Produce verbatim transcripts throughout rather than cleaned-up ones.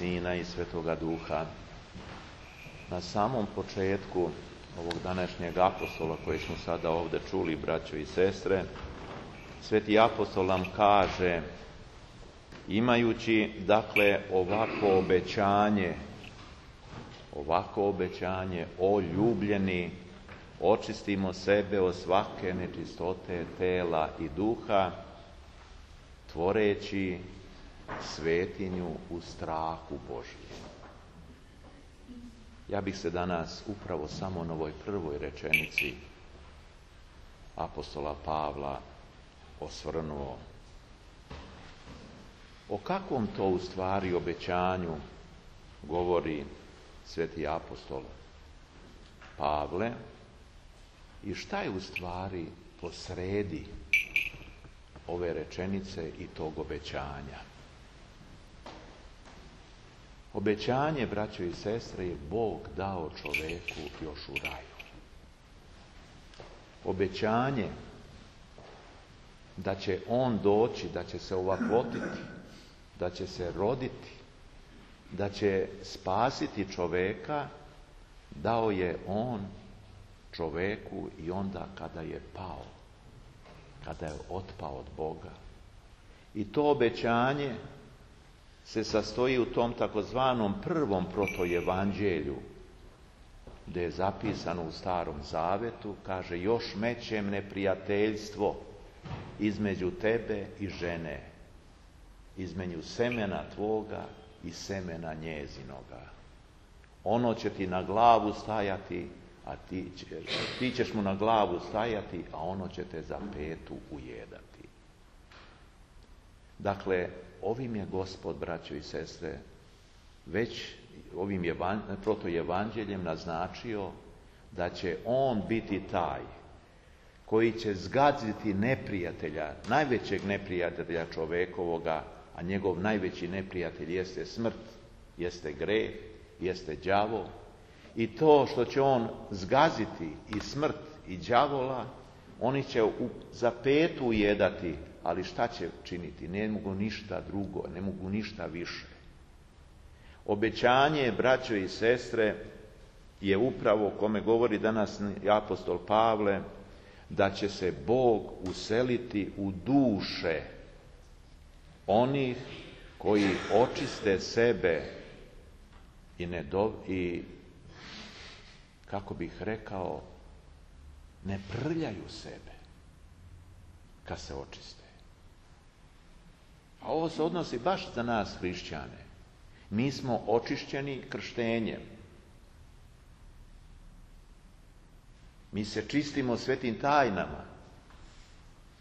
Sina i Svetoga Duha. Na samom početku ovog današnjeg apostola koji smo sada ovdje čuli, braćo i sestre, Sveti apostol nam kaže, imajući dakle ovako obećanje, ovako obećanje, o ljubljeni, očistimo sebe od svake nečistote tela i duha, tvoreći svetinju u strahu Božjem. Ja bih se danas upravo samo na ovoj prvoj rečenici apostola Pavla osvrnuo. O kakvom to u stvari obećanju govori sveti apostol Pavle i šta je u stvari posredi ove rečenice i tog obećanja? Obećanje, braćo i sestre, je Bog dao čoveku još u raju. Obećanje da će on doći, da će se ovakvotiti, da će se roditi, da će spasiti čoveka, dao je on čoveku i onda kada je pao, kada je otpao od Boga. I to obećanje se sastoji u tom takozvanom prvom protoevanđelju, gdje je zapisano u Starom Zavetu, kaže, još mećem neprijateljstvo između tebe i žene, između semena tvoga i semena njezinoga. Ono će ti na glavu stajati, a ti, ti ćeš mu na glavu stajati, a ono će te za petu ujedati. Dakle, ovim je Gospod, braćo i sestre, već ovim evan, protoevanđeljem naznačio da će on biti taj koji će zgaziti neprijatelja, najvećeg neprijatelja čovekovoga, a njegov najveći neprijatelj jeste smrt, jeste greh, jeste đavo. I to što će on zgaziti i smrt i đavola, oni će u, za petu ujedati, ali šta će činiti? Ne mogu ništa drugo, ne mogu ništa više. Obećanje, braćo i sestre, je upravo o kome govori danas apostol Pavle, da će se Bog useliti u duše onih koji očiste sebe i, ne do, i kako bih rekao, ne prljaju sebe kad se očiste. A ovo se odnosi baš za nas hrišćane. Mi smo očišćeni krštenjem. Mi se čistimo svetim tajnama.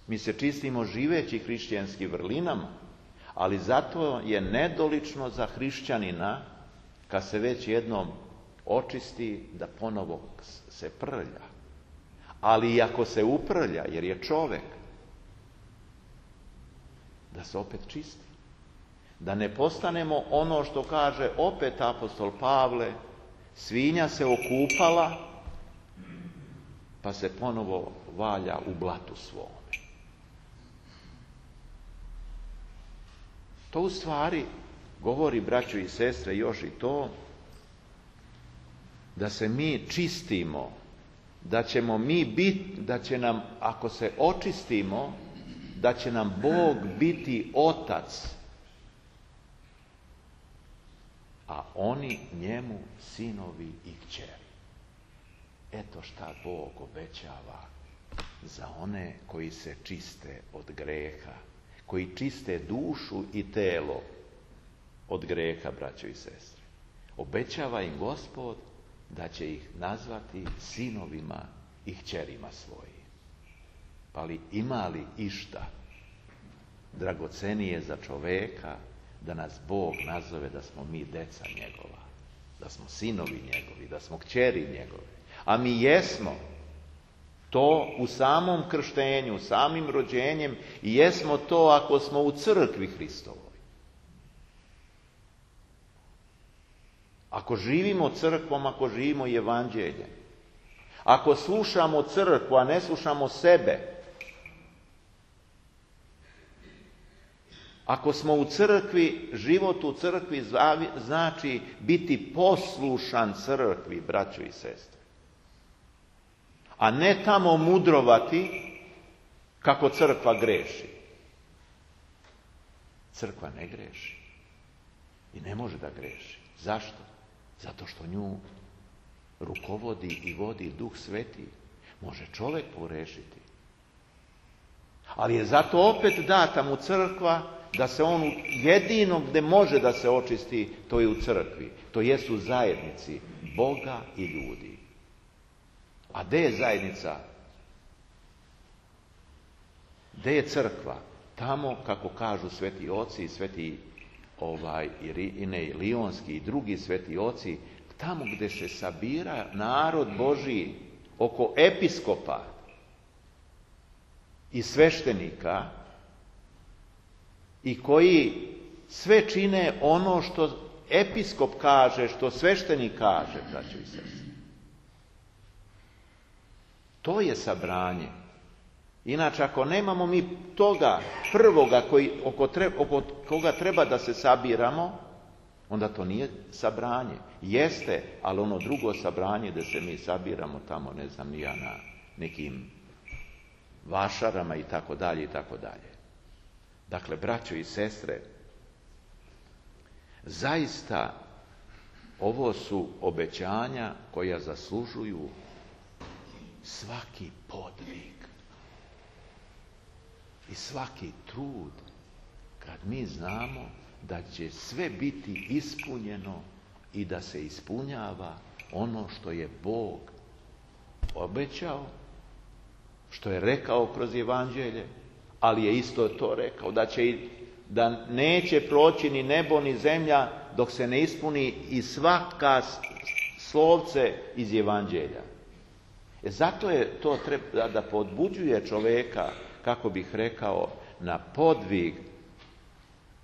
Mi se čistimo živeći hrišćanskim vrlinama, ali zato je nedolično za hrišćanina, kad se već jednom očisti, da ponovo se prlja. Ali i ako se uprlja, jer je čovek, da se opet čisti. Da ne postanemo ono što kaže opet apostol Pavle, svinja se okupala, pa se ponovo valja u blatu svome. To u stvari govori, braćo i sestre, još i to, da se mi čistimo, da ćemo mi biti, da će nam, ako se očistimo, da će nam Bog biti otac, a oni njemu sinovi i kćeri. Eto šta Bog obećava za one koji se čiste od greha, koji čiste dušu i telo od greha, braćo i sestre. Obećava im Gospod da će ih nazvati sinovima i kćerima svojim. Pa li ima li išta dragocenije za čoveka da nas Bog nazove da smo mi deca njegova, da smo sinovi njegovi, da smo kćeri njegove. A mi jesmo to u samom krštenju, samim rođenjem, i jesmo to ako smo u crkvi Hristovoj. Ako živimo crkvom, ako živimo evanđeljem, ako slušamo crkvu, a ne slušamo sebe, Ako smo u crkvi, život u crkvi znači biti poslušan crkvi, braćo i sestre. A ne tamo mudrovati kako crkva greši. Crkva ne greši. I ne može da greši. Zašto? Zato što nju rukovodi i vodi Duh Sveti. Može čovjek pogrešiti. Ali je zato opet data mu crkva da se on jedino gdje može da se očisti, to je u crkvi. To jest u zajednici Boga i ljudi. A gdje je zajednica? Gdje je crkva? Tamo, kako kažu sveti oci i sveti ovaj, Irinej Lionski i drugi sveti oci, tamo gdje se sabira narod Božiji oko episkopa i sveštenika i koji sve čine ono što episkop kaže, što sveštenik kaže, braćo i sestre. To je sabranje. Inače, ako nemamo mi toga prvoga koji, oko, tre, oko koga treba da se sabiramo, onda to nije sabranje. Jeste, ali ono drugo sabranje da se mi sabiramo tamo, ne znam, ni ja na nekim vašarama i tako dalje i tako dalje. Dakle, braćo i sestre, zaista ovo su obećanja koja zaslužuju svaki podvig i svaki trud kad mi znamo da će sve biti ispunjeno i da se ispunjava ono što je Bog obećao, što je rekao kroz evanđelje, ali je isto to rekao da će da neće proći ni nebo ni zemlja dok se ne ispuni i svaka slovce iz evanđelja. E zato je to treba da podbuđuje čovjeka, kako bih rekao, na podvig,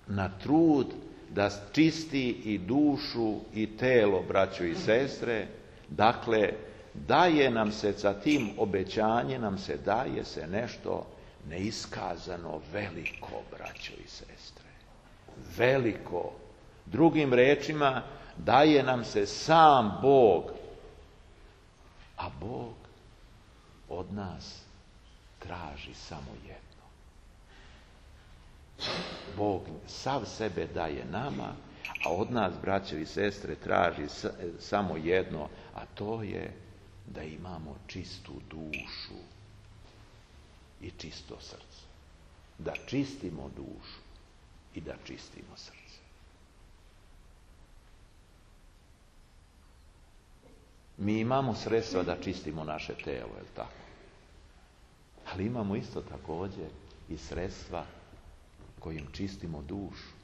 na trud da čisti i dušu i telo, braćo i sestre. Dakle, daje nam se sa tim obećanjem, nam se daje se nešto neiskazano veliko, braćo i sestre. Veliko. Drugim rečima, daje nam se sam Bog. A Bog od nas traži samo jedno. Bog sav sebe daje nama, a od nas, braćo i sestre, traži samo jedno, a to je da imamo čistu dušu i čisto srce. Da čistimo dušu i da čistimo srce. Mi imamo sredstva da čistimo naše telo, je li tako? Ali imamo isto također i sredstva kojim čistimo dušu.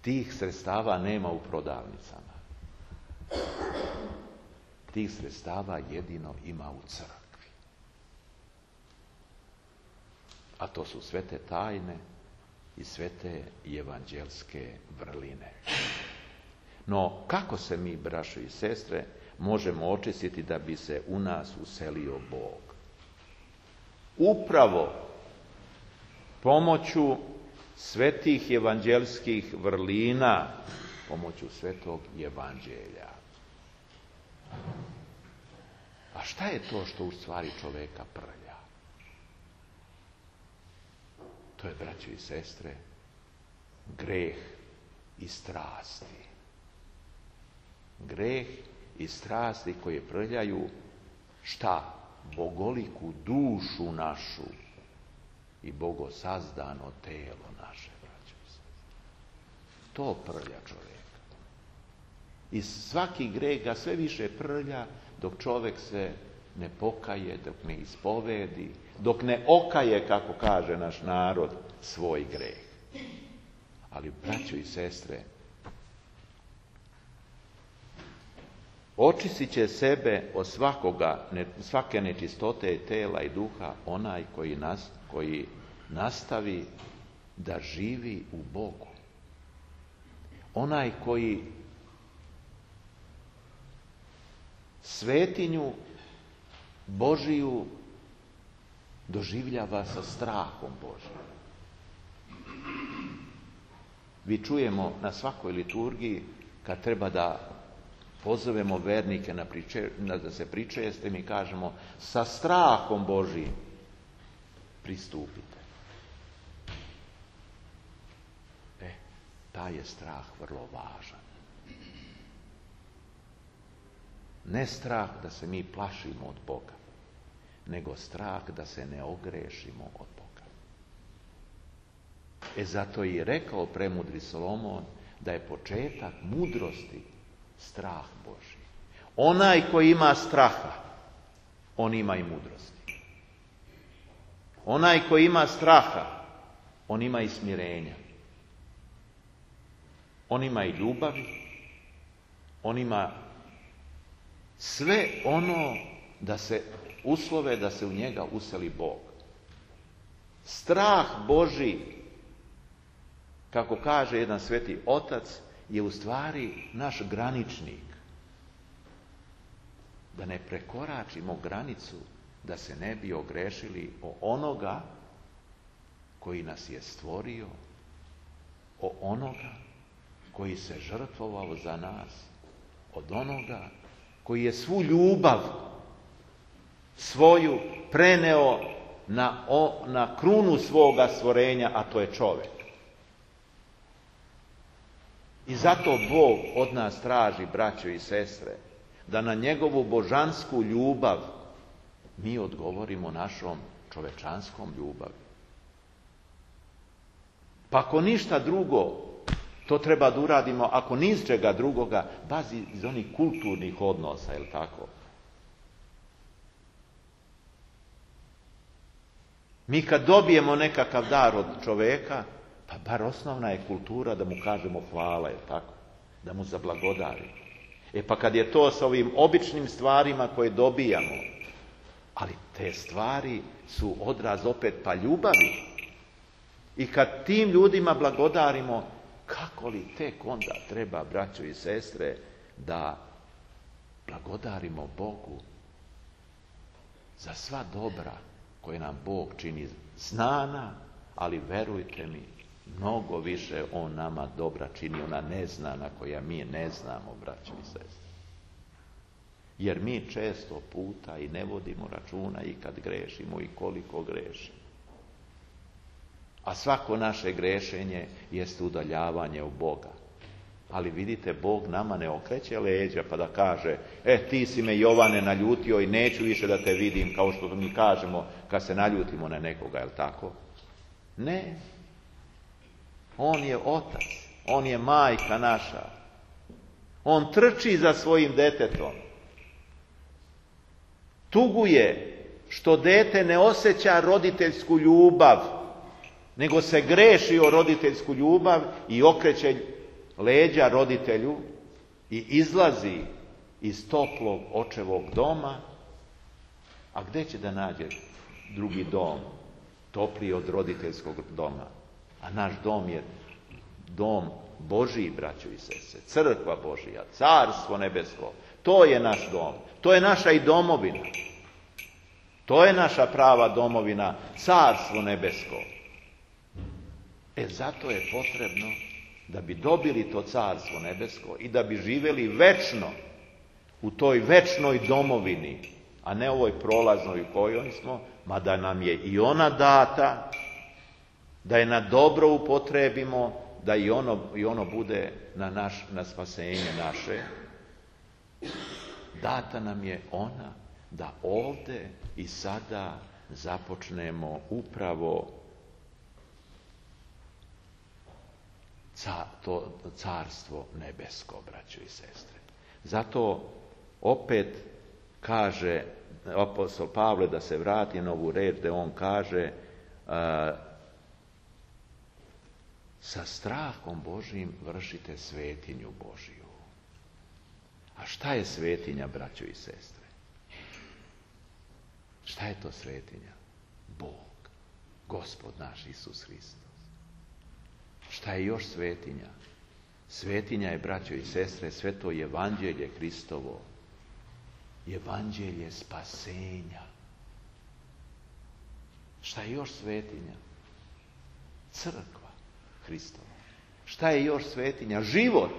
Tih sredstava nema u prodavnicama. Tih sredstava jedino ima u crkvi. A to su sve te tajne i sve te evanđelske vrline. No, kako se mi, braćo i sestre, možemo očistiti da bi se u nas uselio Bog? Upravo pomoću svetih evanđelskih vrlina, pomoću svetog evanđelja. A šta je to što u stvari čoveka prlja? To je, braćo i sestre, greh i strasti. Greh i strasti koje prljaju šta? Bogoliku dušu našu i bogosazdano telo naše, braćo i sestre. To prlja čovjeka. I svaki greh ga sve više prlja dok čovjek se ne pokaje, dok ne ispovedi, dok ne okaje, kako kaže naš narod, svoj greh. Ali, braćo i sestre, očistit će sebe od svakoga, svake nečistote tela i duha onaj koji, nas, koji nastavi da živi u Bogu. Onaj koji svetinju Božiju doživljava sa strahom Božjim. Vi čujemo na svakoj liturgiji kad treba da pozovemo vernike na priče, na da se pričeste, mi kažemo sa strahom Božijim pristupite. E, taj je strah vrlo važan. Ne strah da se mi plašimo od Boga, nego strah da se ne ogrešimo od Boga. E zato je i rekao premudri Solomon da je početak mudrosti strah Božji. Onaj koji ima straha, on ima i mudrosti. Onaj koji ima straha, on ima i smirenja. On ima i ljubavi, on ima sve ono da se uslove da se u njega useli Bog. Strah Božji, kako kaže jedan sveti otac, je u stvari naš graničnik. Da ne prekoračimo granicu, da se ne bi ogrešili o onoga koji nas je stvorio, o onoga koji se žrtvovao za nas, od onoga koji je svu ljubav svoju preneo na, o, na krunu svoga stvorenja, a to je čovjek. I zato Bog od nas traži, braćo i sestre, da na njegovu božansku ljubav mi odgovorimo našom čovečanskom ljubavi. Pa ako ništa drugo, to treba da uradimo, ako ni iz čega drugoga, bazi iz onih kulturnih odnosa, je li tako? Mi kad dobijemo nekakav dar od čoveka, pa bar osnovna je kultura da mu kažemo hvala, je li tako? Da mu zablagodarimo. E pa kad je to sa ovim običnim stvarima koje dobijamo, ali te stvari su odraz opet pa ljubavi. I kad tim ljudima blagodarimo, kako li tek onda treba, braćo i sestre, da blagodarimo Bogu za sva dobra koje nam Bog čini znana, ali verujte mi, mnogo više On nama dobra čini, ona neznana koja mi ne znamo, braćo i sestre. Jer mi često puta i ne vodimo računa i kad grešimo i koliko grešimo. A svako naše grešenje jest udaljavanje od Boga. Ali vidite, Bog nama ne okreće leđa pa da kaže, e ti si me Jovane naljutio i neću više da te vidim, kao što mi kažemo kad se naljutimo na nekoga, je li tako? Ne. On je otac, on je majka naša. On trči za svojim detetom. Tuguje što dete ne osjeća roditeljsku ljubav, nego se greši o roditeljsku ljubav i okreće leđa roditelju i izlazi iz toplog očevog doma. A gdje će da nađe drugi dom, topliji od roditeljskog doma? A naš dom je dom Božiji, braćo i sestre, crkva Božija, carstvo nebesko. To je naš dom, to je naša i domovina. To je naša prava domovina, carstvo nebesko. E zato je potrebno da bi dobili to carstvo nebesko i da bi živjeli večno u toj večnoj domovini, a ne ovoj prolaznoj u kojoj smo, mada nam je i ona data, da je na dobro upotrebimo, da i ono, i ono bude na, naš, na spasenje naše. Data nam je ona da ovdje i sada započnemo upravo Ca, to carstvo nebesko, braćo i sestre. Zato opet kaže apostol Pavle, da se vrati na ovu reč, da on kaže a, sa strahom Božijim vršite svetinju Božiju. A šta je svetinja, braćo i sestre? Šta je to svetinja? Bog, Gospod naš Isus Hristos. Šta je još svetinja? Svetinja je, braćo i sestre, sve to evanđelje Hristovo. Evanđelje spasenja. Šta je još svetinja? Crkva. Hristova. Šta je još svetinja? Život.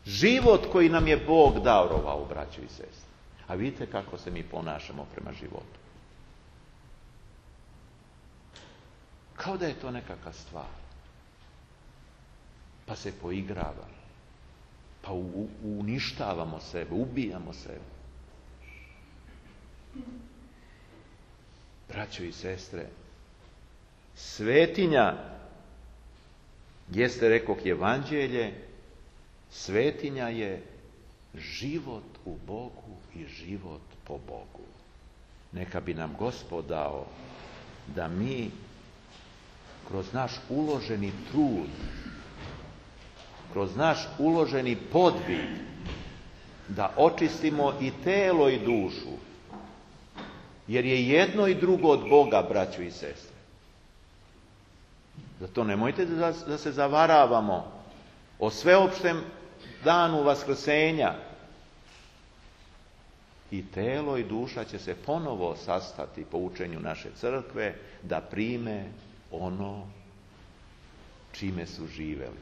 Život koji nam je Bog darovao, braćo i sestre. A vidite kako se mi ponašamo prema životu. Kao da je to nekakva stvar. Pa se poigravamo. Pa u, uništavamo sebe, ubijamo sebe. Braćo i sestre, svetinja jeste, rekoh, evanđelje, svetinja je život u Bogu i život po Bogu. Neka bi nam Gospod dao da mi kroz naš uloženi trud, kroz naš uloženi podvig, da očistimo i telo i dušu, jer je jedno i drugo od Boga, braćo i sestre. Zato nemojte da, da se zavaravamo o sveopštem danu vaskrsenja. I telo i duša će se ponovo sastati po učenju naše crkve da prime ono čime su živeli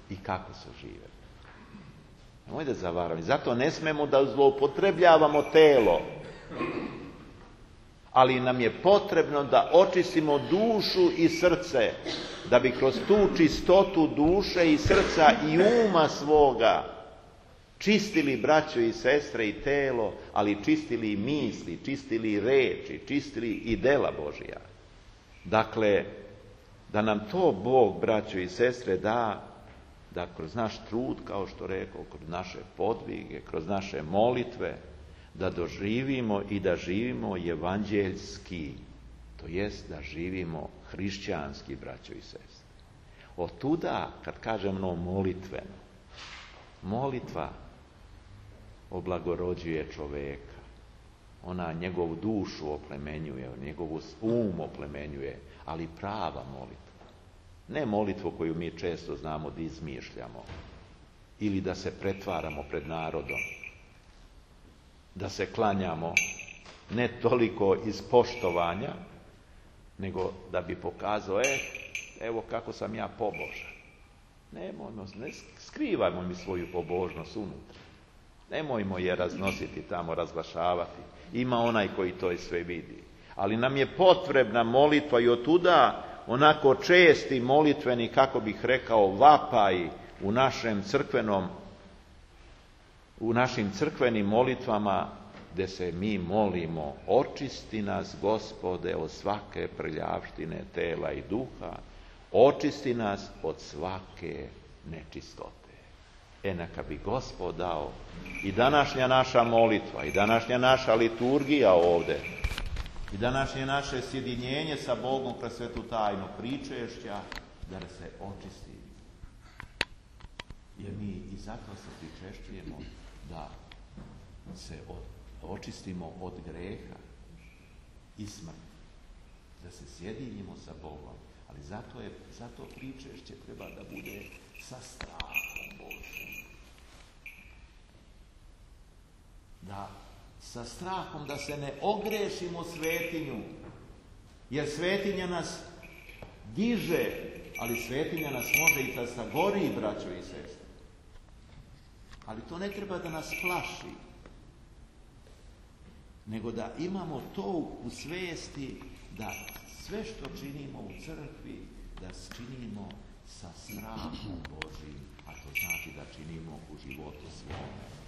i kako su živeli. Nemojte da zavaravamo. Zato ne smemo da zloupotrebljavamo telo. Ali nam je potrebno da očistimo dušu i srce, da bi kroz tu čistotu duše i srca i uma svoga čistili, braćo i sestre, i telo, ali čistili i misli, čistili i reči, čistili i dela Božija. Dakle, da nam to Bog, braćo i sestre, da, da kroz naš trud, kao što rekao, kroz naše podvige, kroz naše molitve, da doživimo i da živimo evanđeljski, to jest da živimo hrišćanski, braćo i sestre. Otuda, kad kažemo molitveno, molitva oblagorođuje čoveka. Ona njegovu dušu oplemenjuje, njegovu um oplemenjuje, ali prava molitva. Ne molitvu koju mi često znamo da izmišljamo ili da se pretvaramo pred narodom, da se klanjamo ne toliko iz poštovanja, nego da bi pokazao, e, evo kako sam ja pobožan. Nemojmo, ne skrivajmo mi svoju pobožnost unutra. Nemojmo je raznositi tamo, razglašavati. Ima onaj koji to i sve vidi. Ali nam je potrebna molitva i otuda onako česti molitveni, kako bih rekao, vapaj u našem crkvenom, u našim crkvenim molitvama, gdje se mi molimo: očisti nas, Gospode, od svake prljavštine tela i duha, očisti nas od svake nečistote. E, neka bi Gospod dao i današnja naša molitva, i današnja naša liturgija ovdje, i današnje naše sjedinjenje sa Bogom kroz svetu tajnu pričešća, da se očisti. Jer mi i zato se pričešćujemo, da se očistimo od greha i smrti, da se sjedinimo sa Bogom. Ali zato, je, zato pričešće treba da bude sa strahom Božjim. Da sa strahom, da se ne ogrešimo svetinju, jer svetinja nas diže, ali svetinja nas može i da sagori, braćo i sestre. Ali to ne treba da nas plaši, nego da imamo to u svijesti, da sve što činimo u crkvi, da činimo sa strahom Božim, a to znači da činimo u životu svome.